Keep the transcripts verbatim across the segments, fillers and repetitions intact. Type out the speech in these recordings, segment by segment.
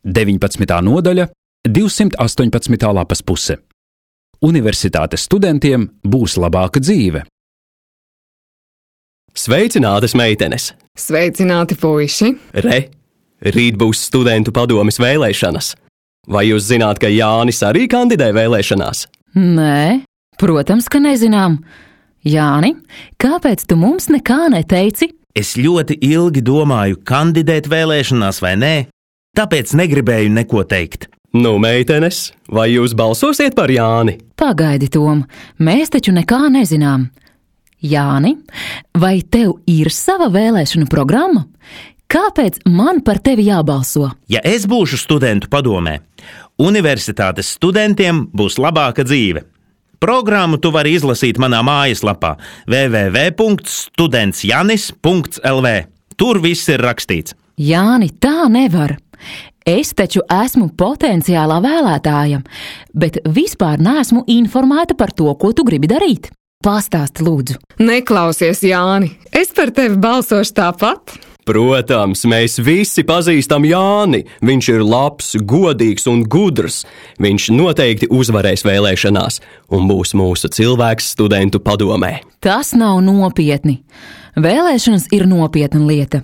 deviņpadsmitā nodaļa, divsimt astoņpadsmitā lapas puse. Universitātes studentiem būs labāka dzīve. Sveicinātas, meitenes! Sveicināti, puiši! Re, rīt būs studentu padomes vēlēšanas. Vai jūs zināt, ka Jānis arī kandidē vēlēšanās? Nē, protams, ka nezinām. Jāni, kāpēc tu mums nekā neteici? Es ļoti ilgi domāju, kandidēt vēlēšanās vai nē, tāpēc negribēju neko teikt. Nu, meitenes, vai jūs balsosiet par Jāni? Pagaidi, Tom, mēs taču nekā nezinām. Jāni, vai tev ir sava vēlēšanu programma? Kāpēc man par tevi jābalso? Ja es būšu studentu padomē, universitātes studentiem būs labāka dzīve. Programmu tu vari izlasīt manā mājaslapā w w w punkts students janis punkts l v. Tur viss ir rakstīts. Jāni, tā nevar. Es taču esmu potenciālā vēlētāja, bet vispār neesmu informēta par to, ko tu gribi darīt. Pastāsti, lūdzu. Neklausies, Jāni, es par tevi balsošu tāpat. Protams, mēs visi pazīstam Jāni. Viņš ir labs, godīgs un gudrs. Viņš noteikti uzvarēs vēlēšanās un būs mūsu cilvēks studentu padomē. Tas nav nopietni. Vēlēšanas ir nopietna lieta.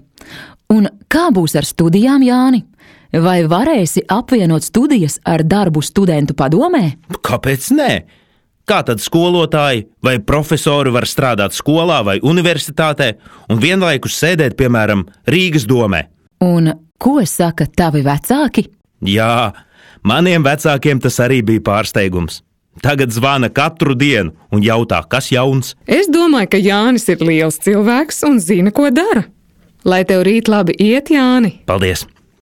Un kā būs ar studijām, Jāni? Vai varēsi apvienot studijas ar darbu studentu padomē? Kāpēc nē? Kā tad skolotāji vai profesori var strādāt skolā vai universitātē un vienlaikus sēdēt, piemēram, Rīgas domē? Un ko saka tavi vecāki? Jā, maniem vecākiem tas arī bija pārsteigums. Tagad zvana katru dienu un jautā, kas jauns. Es domāju, ka Jānis ir liels cilvēks un zina, ko dara. Lai tev rīt labi iet, Jāni! Paldies!